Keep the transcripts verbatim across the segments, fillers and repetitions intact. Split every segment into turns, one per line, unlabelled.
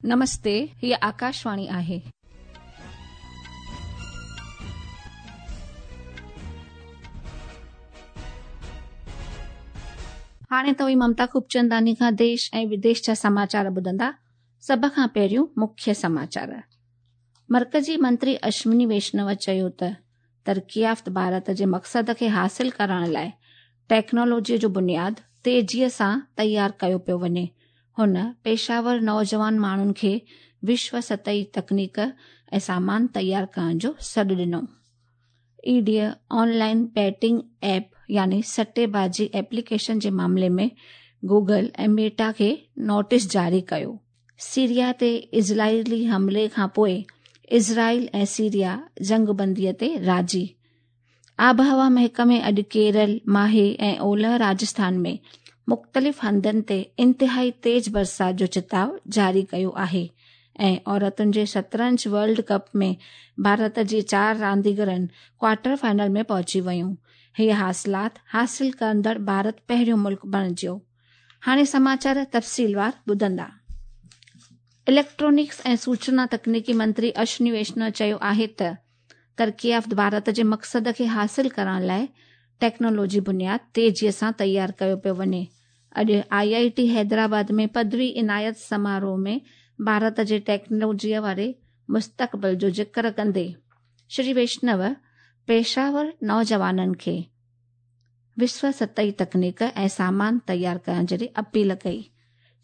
नमस्ते, हीअ आकाशवाणी आहे। हाणे तव्हीं ममता खूबचंदानी खां देश ऐं विदेश जा समाचार ॿुधंदा। सभ खां पहिरियों मुख्य समाचार। मर्कजी मंत्री अश्विनी वैष्णव चयो त तरक़ी याफ़्त भारत जे मक़सद खे हासिल करण लाइ टेक्नोलॉजीअ जो बुनियाद तेज़ीअ सां तयारु कयो पियो वञे। हुन पेशावर नौजवान माण्हुनि खे विश्व सतही तकनीक ऐं सामान तयारु करण जो सॾु ॾिनो। ईडीअ ऑनलाइन बेटिंग ऐप यानी सट्टेबाजी एप्लीकेशन जे मामले में गूगल ऐं मेटा खे नोटिस जारी कयो। सीरिया ते इज़राइली हमले खां पोइ इज़राइल ऐं सीरिया जंगबंदीअ ते राज़ी। आबहवा महकमे अॼु केरल, माहे ऐं ओलह राजस्थान में मुख़्तलिफ़ हंधनि ते इंतिहाई तेज़ बरसाति जो चिताव जारी कयो आहे। ऐं औरतुनि जे शतरंज वर्ल्ड कप में भारत जे चारि रांदीगरनि क्वार्टर फाइनल में पहुची वयूं। हीअ हासिलात हासिल कंदड़ भारत पहिरियों मुल्क बणिजो। हाणे समाचार तफ़सीलवार ॿुधंदा। इलेक्ट्रॉनिक्स ऐं सूचना तकनीकी मंत्री अश्विनी वैष्णव चयो आहे त तरक़ी याफ़्त भारत जे मक़सद खे हासिल करण लाइ टेक्नोलॉजी बुनियाद तेज़ीअ सां तयारु कयो पियो वञे। अॼु आई I T Hyderabad में पदवी इनायत समारोह में भारत जे टेक्नोलॉजीअ वारे मुस्तक़बिल जो ज़िक्र कंदे श्री वैष्णव पेशावर नौजवाननि खे विश्व सतही तकनीक ऐं सामान तयारु करण जी अपील कई।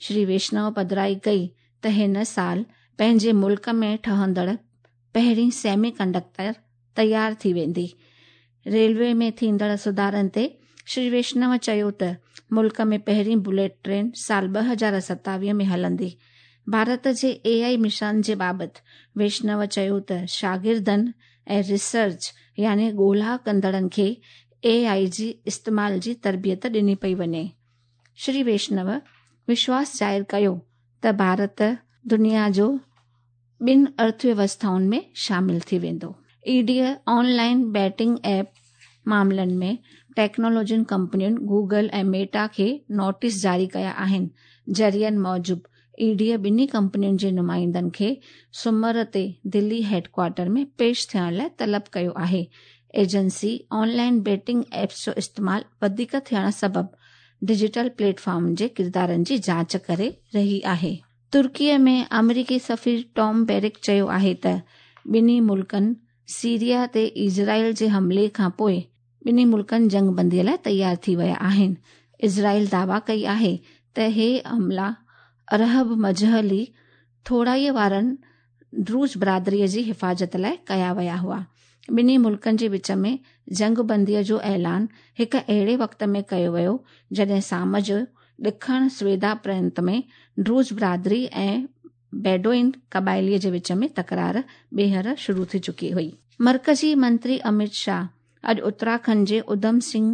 श्री वैष्णव पधराई कई त हिन साल पंहिंजे मुल्क में ठहंदड़ पहिरीं सेमी कंडक्टर तयारु थी वेंदी। रेलवे में थींदड़ सुधारनि ते श्री वैष्णव चयो त मुल्क में पहिरीं बुलेट ट्रेन साल ॿ हज़ार सतावीह में हलंदी। भारत जे ए I mission जे बाबति वैष्णव चयो त शागिर्दनि ऐं रिसर्च यानी ॻोल्हा कंदड़नि खे ए आई जी इस्तेमाल जी तरबियत ॾिनी पई वञे। श्री वैष्णव विश्वास ज़ाहिर कयो त भारत दुनिया जो ॿिनि अर्थव्यवस्थाउनि में शामिल थी वेंदो। ईडीअ ऑनलाइन बेटिंग ऐप मामलनि में टेक्नोलॉजी कंपनियुनि गूगल ऐं मेटा खे नोटिस जारी कया आहिनि। ज़रियनि मूजिबि ईडीअ ॿिन्ही कंपनियुनि जे नुमाइंदनि खे सुमर ते दिल्ली हेडक्वार्टर में पेश थियण लाइ तलब कयो आहे। एजेंसी ऑनलाइन बेटिंग ऐप्स जो इस्तेमाल वधीक थियण सबबि डिजिटल प्लेटफॉर्म जे किरदारनि जी जांच करे रही आहे। तुर्कीअ में अमेरिकी सफ़ीर टॉम बैरिक चयो आहे त ॿिन्ही मुल्कनि सीरिया ते इज़राइल जे हमले खां पोइ ॿिन्ही मुल्कनि जंगबंदीअ लाइ तयारु थी विया आहिनि। इज़राइल दावा कई आहे त हे हमला अरहब मजहली थोराईअ वारनि ड्रूज बरादरीअ जी हिफ़ाज़त लाइ कया विया हुआ। ॿिन्ही मुल्कनि जे विच में जंगबंदीअ जो ऐलान हिकु अहिड़े वक़्त में कयो वियो जॾहिं शाम जो ॾखण स्वेदा प्रांत में ड्रूज बरादरी ऐं बेडोइन क़बाइलीअ जे विच में तकरार ॿीहर शुरू थी चुकी हुई। मर्कज़ी मंत्री अमित शाह अॼु उत्तराखंड जे उधम सिंह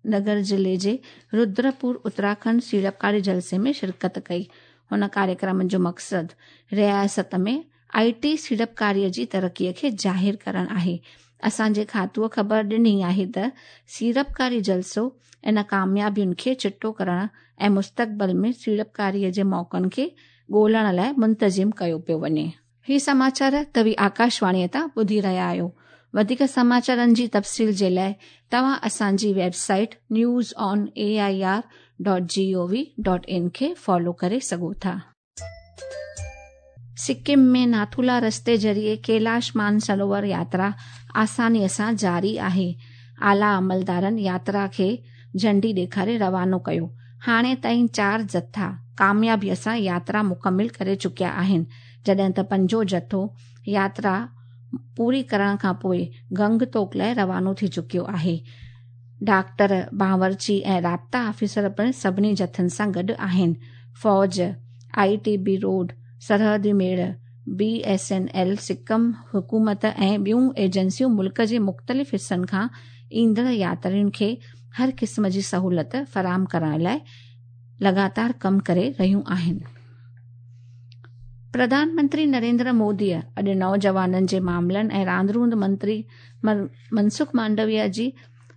नगर ज़िले जे रुद्रपुर उत्तराखंड सीड़पकारी जलसे में शिरकत कई। हुन कार्यक्रम जो मक़सदु रियासत में I T सीड़पकारीअ जी तरक़ीअ खे ज़ाहिर करणु आहे। असांजे खातूअ ख़बर ॾिनी आहे त सीड़पकारी जलसो इन कामयाबियुनि खे चिटो करण ऐं मुस्तक़बिल में सीड़पकारीअ जे मौक़नि खे ॻोल्हण लाइ मुंतज़िम कयो पियो वञे। ही समाचार तव्हीं आकाशवाणीअ तां ॿुधी रहिया आहियो। वधीक समाचारनि जी तफ़सील जे लाइ तव्हां असांजी website news on A I R dot G O V dot in खे फॉलो करे सघो था। सिक्किम में नाथुला रस्ते ज़रिए कैलाश मानसरोवर यात्रा आसानीअ सां जारी आहे। आला अमलदारनि यात्रा खे झंडी ॾेखारे रवानो कयो। हाणे ताईं चारि जत्था कामयाबीअ सां यात्रा मुकमिल करे चुकिया आहिनि, जॾहिं त पंजो जत्थो यात्रा पूरी करण खां पोइ गंगटोक लाइ रवानो थी चुकियो आहे। डॉक्टर, बावर्ची ऐं राब्ता ऑफिसर पिणु सभिनी जत्थनि सां गॾु आहिनि। फ़ौज, I T B road, सरहदी मेड़, B S N L, Sikkim हुकूमत ऐं ॿियूं एजेंसियूं मुल्क जे मुख़्तलिफ़ हिसनि खां ईंदड़ यात्रियुनि खे हर क़िस्म जी सहूलियत फराहम करण लाइ लगातार कमु करे रहियूं आहिनि। प्रधानमंत्री नरेंद्र मोदीअ अॼु नौजवाननि जे मामलनि ऐं रांदि रूंदि मंत्री मनसुख मांडविया जी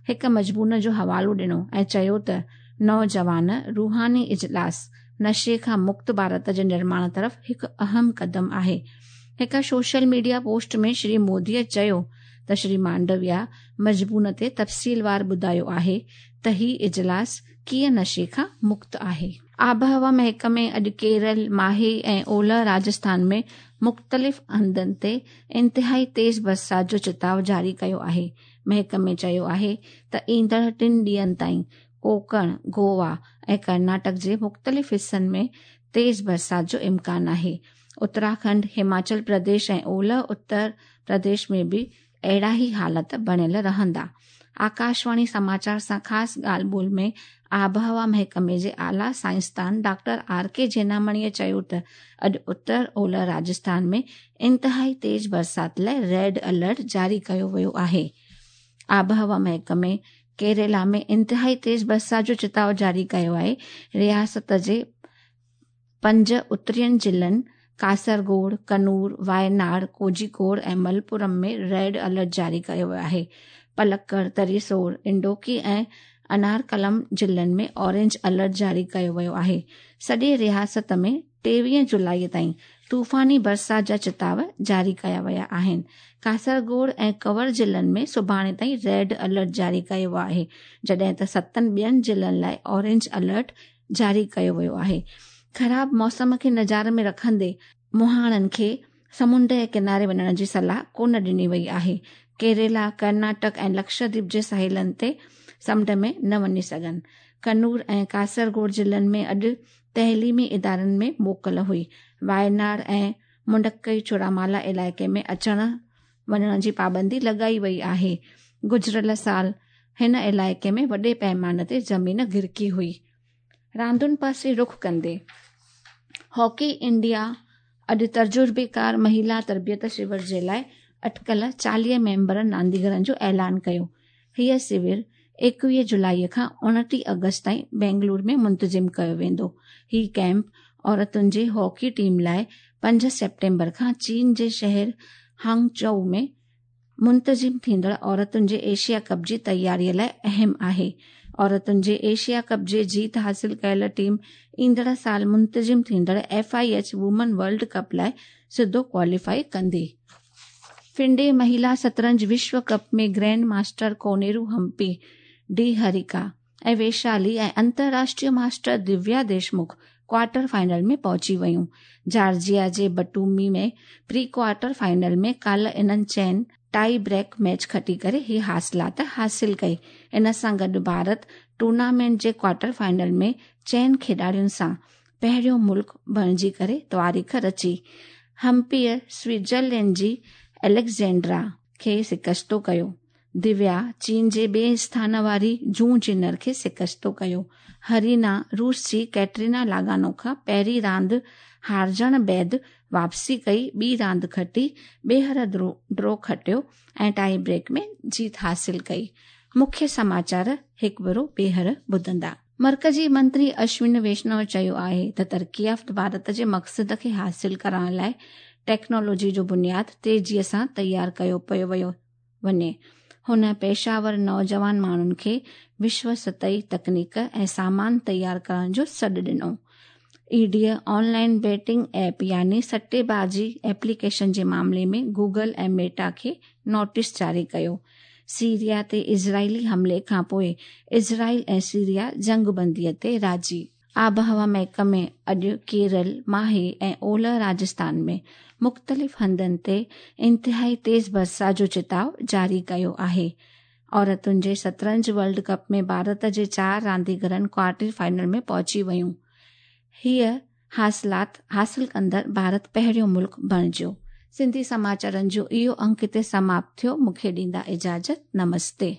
हिकु मज़मून जो हवालो ॾिनो ऐं चयो त नौजवान रूहानी इजलास नशे खां मुक्त भारत जे निर्माण तरफ़ हिकु अहम क़दम आहे। हिकु सोशल मीडिया पोस्ट में श्री मोदीअ चयो त श्री मांडविया मज़मून ते तफ़सीलवार ॿुधायो आहे त ही इजलास कीअं नशे खां मुक्त आहे। आबहवा महकमे अॼु केरल, माहे ऐं ओलह राजस्थान में मुख़्तलिफ़ हंधनि ते इंतिहाई तेज़ बरसाति जो चिताव जारी कयो आहे। महकमे चयो आहे त ईंदड़ टिनि ॾींहनि ताईं कोंकण, गोवा ऐं कर्नाटक जे मुख़्तलिफ़ हिसनि में तेज़ बरसाति जो इम्कान आहे। उत्तराखंड, हिमाचल प्रदेश ऐं ओलह उत्तर प्रदेश में बि अहिड़ा ई हालत बणियल रहंदा। आकाशवाणी समाचार सां ख़ासि ॻाल्हि ॿोल में आबहवा महकमे जे आला साइंसदान डॉक्टर आर के जेनामणीअ चयो त अॼु उत्तर ओलह राजस्थान में इंतिहाई तेज़ बरसाति लाइ रेड अलर्ट जारी कयो वियो आहे। आबहवा महकमे केरला में इंतिहाई तेज़ बरसाति जो चिताव जारी कयो आहे। रियासत जे पंज उत्तरियनि ज़िलनि कासरगोड, कनूर, वायनाड, कोझिकोड ऐं मलपुरम में रेड अलर्ट जारी कयो वियो आहे। पलक्कड़, तरिसोर, इंडोकी ऐं अनारकलम ज़िलनि में ऑरेंज अलर्ट जारी कयो वियो आहे। सॼी रियासत में टेवीह जुलाई ताईं तूफ़ानी बरसाति जा चिताव जारी कया विया आहिनि। कासरगोड ऐं कंवर ज़िलनि में सुभाणे ताईं रेड अलर्ट जारी कयो वियो आहे, जॾहिं त सतनि ॿियनि ज़िलनि लाइ ऑरेंज अलर्ट जारी कयो वियो आहे। ख़राब मौसम खे नज़ार में रखंदे मुहाणनि खे समुंड जे किनारे वञण जी सलाह कोन ॾिनी वई आहे। केरला, कर्नाटक ऐं लक्षद्वीप जे साहिलनि ते समुंड में न वञी सघनि। कनूर ऐं कासरगोड ज़िलनि में अॼु तइलीमी इदारनि में मोकल हुई। वायनाड ऐं मुंडक्कई चुरामाला इलाइक़े में अचण वञण जी पाबंदी लॻाई वई आहे। गुज़िरियल साल हिन इलाइक़े में वॾे पैमाने ते ज़मीन गिरकी हुई। रांदुनि पासे रुख कंदे हॉकी इंडिया अॼु तजुर्बेकार महिला तरबियत शिविर जे लाइ अटकल चालीह मेंबर रांदीगरनि जो ऐलान कयो। हीअ शिविर एकवीह जुलाई खां उणिटीह अगस्त ताईं बेंगलुरु में मुंतज़िम कयो वेंदो। ही कैंप औरतुनि जे हॉकी टीम लाइ पंज सेप्टेम्बर खां चीन जे शहर हांगझोउ में मुंतज़िम थींदड़ औरतुनि जे एशिया कप जी तयारीअ लाइ अहम आहे। औरतुनि जे एशिया कप जे जीत हासिल कयल टीम ईंदड़ साल मुंतज़िम थींदड़ F I H women world cup लाइ सिधो क्वालीफाई कंदी। फिंडे महिला शतरंज विश्व कप में grand master Koneru Humpy, D Harika ऐं वैशाली ऐं अंतर्राष्ट्रीय master Divya Deshmukh quarter final में पहुची वयूं। जॉर्जिया जे बटूमी में प्री क्वार्टर फाइनल में काल्ह इन्हनि चइनि टाई ब्रेक मैच खटी करे ही हासिलात हासिल कई। इन सां गॾु भारत टूर्नामेंट जे क्वार्टर फाइनल में चइनि खिॾाड़ियुनि सां पहिरियों मुल्क बणिजी करे तारीख़ रची। हम्पीअ स्विट्ज़रलैंड जी एलेक्जेंड्रा खे शिकस्तो कयो। दिव्या चीन जे ॿिए स्थान वारी जू जिनर खे शिकस्तो कयो। हरीना रूस जी कैटरीना लागानो खां पहिरीं रांदि हारजण बाद वापसी कई, ॿी रांदि खटी, ॿीहर ड्रॉ खटियो ऐं टाई ब्रेक में जीत हासिल कई। मुख्य समाचार हिकु भेरो ॿीहर ॿुधंदा। मर्कज़ी मंत्री अश्विन वैष्णव चयो आहे त तरक़ी याफ़्त भारत जे मक़सद खे हासिल करण लाइ टेक्नोलॉजी जो बुनियाद तेज़ीअ सां तयारु कयो पियो वियो वञे। हुन पेशावर नौजवान माण्हुनि खे विश्व सतही तकनीक ऐं सामान तयारु करण जो सॾु ॾिनो। ईडीअ ऑनलाइन बेटिंग ऐप यानी सट्टेबाज़ी एप्लीकेशन जे मामले में गूगल ऐं मेटा खे नोटिस जारी कयो। सीरिया ते इज़राइली हमले खां पोइ इज़राइल ऐं सीरिया जंगबंदीअ ते राज़ी। आबहवा महकमे अॼु केरल, माहे ऐं ओलह राजस्थान में मुख़्तलिफ़ हंधनि ते इंतिहाई तेज़ बरसाति जो चिताव जारी कयो आहे। औरतुनि जे शतरंज वर्ल्ड कप में भारत जे चारि रांदीगरनि क्वार्टर फाइनल में पहुची वयूं। हीअ हासिलात हासिल कंदड़ भारत पहिरियों मुल्क बणिजो। सिंधी समाचारनि जो इहो अंक हिते समाप्त थियो। मूंखे ॾींदा इजाज़त। नमस्ते।